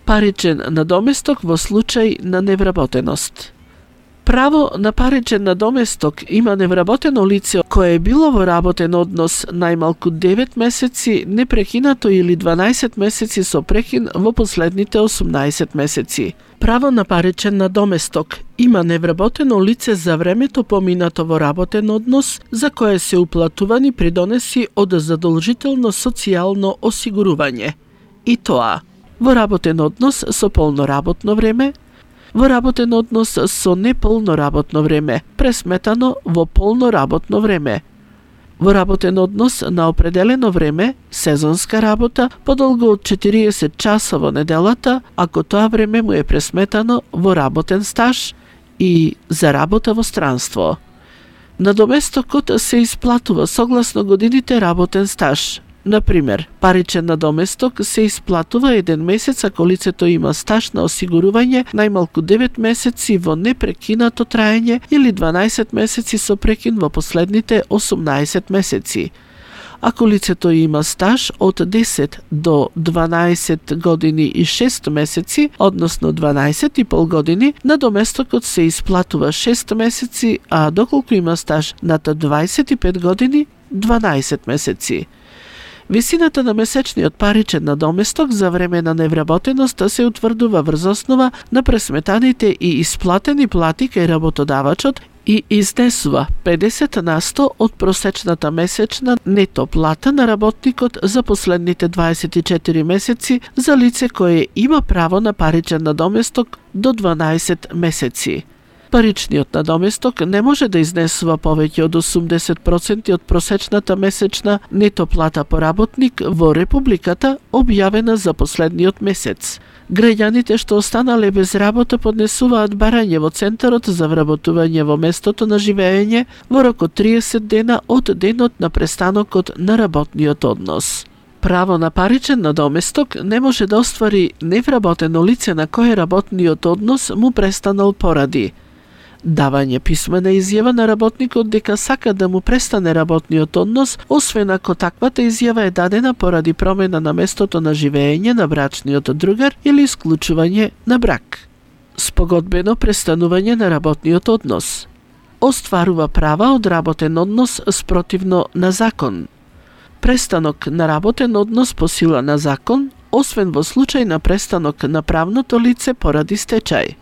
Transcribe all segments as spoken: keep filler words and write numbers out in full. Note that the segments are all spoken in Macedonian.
Паричен надоместок во случај на невработеност. Право на паричен надоместок има невработено лице кое е било во работен однос најмалку девет месеци непрекинато или дванаесет месеци со прекин во последните осумнаесет месеци. Право на паричен надоместок има невработено лице за времето поминато во работен однос за кое се уплатувани придонеси од задолжително социјално осигурување. И тоа во работен однос со полно работно време, во работен однос со неполно работно време, пресметано во полно работно време, во работен однос на определено време, сезонска работа, подолго од четириесет часа во неделата, ако тоа време му е пресметано во работен стаж и за работа во странство. Надоместокот се исплатува согласно годините работен стаж. Например, паричен надоместок се исплатува еден месец ако лицето има стаж на осигурување најмалку девет месеци во непрекинато траење или дванаесет месеци со прекин во последните осумнаесет месеци. Ако лицето има стаж од десет до дванаесет години и шест месеци, односно дванаесет и пол години, надоместокот се исплатува шест месеци, а доколку има стаж над дваесет и пет години, дванаесет месеци. Висината на месечниот паричен надоместок за време на невработеност се утврдува врз основа на пресметаните и исплатени плати кај работодавачот и изнесува педесет на сто од просечната месечна нето плата на работникот за последните дваесет и четири месеци за лице кое има право на паричен надоместок до дванаесет месеци. Паричниот надоместок не може да изнесува повеќе од осумдесет проценти од просечната месечна нето плата по работник во Републиката објавена за последниот месец. Граѓаните што останале без работа поднесуваат барање во Центарот за вработување во местото на живење во рок од триесет дена од денот на престанокот на работниот однос. Право на паричен надоместок не може да оствари невработено лице на кое работниот однос му престанал поради давање писмена изјава на работникот дека сака да му престане работниот однос, освен ако таквата изјава е дадена поради промена на местото на живење на брачниот другар или исклучување на брак. Спогодбено престанување на работниот однос. Остварува права од работен однос спротивно на закон. Престанок на работен однос по сила на закон, освен во случај на престанок на правното лице поради стечај.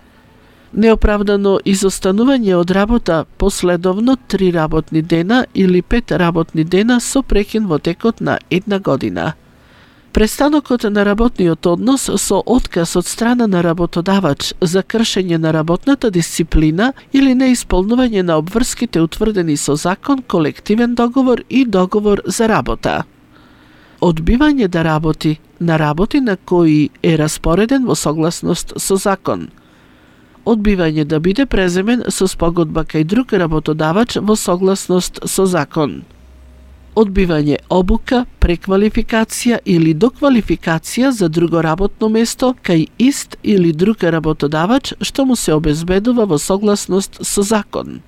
Неоправдано изостанување од работа последовно три работни дена или пет работни дена со прекин во текот на една година. Престанокот на работниот однос со отказ од страна на работодавач за кршење на работната дисциплина или неисполнување на обврските утврдени со закон, колективен договор и договор за работа. Одбивање да работи на работи на кои е распореден во согласност со закон. Одбивање да биде преземен со спогодба кај друг работодавач во согласност со закон. Одбивање обука, преквалификација или доквалификација за друго работно место кај ист или друг работодавач што му се обезбедува во согласност со закон.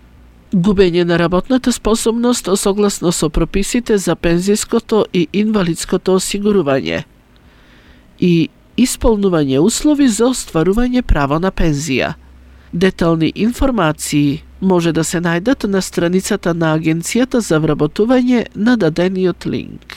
Губење на работната способност согласно со прописите за пензиското и инвалидското осигурување. И исполнување услови за остварување право на пензија. Детални информации може да се најдат на страницата на Агенцијата за вработување на дадениот линк.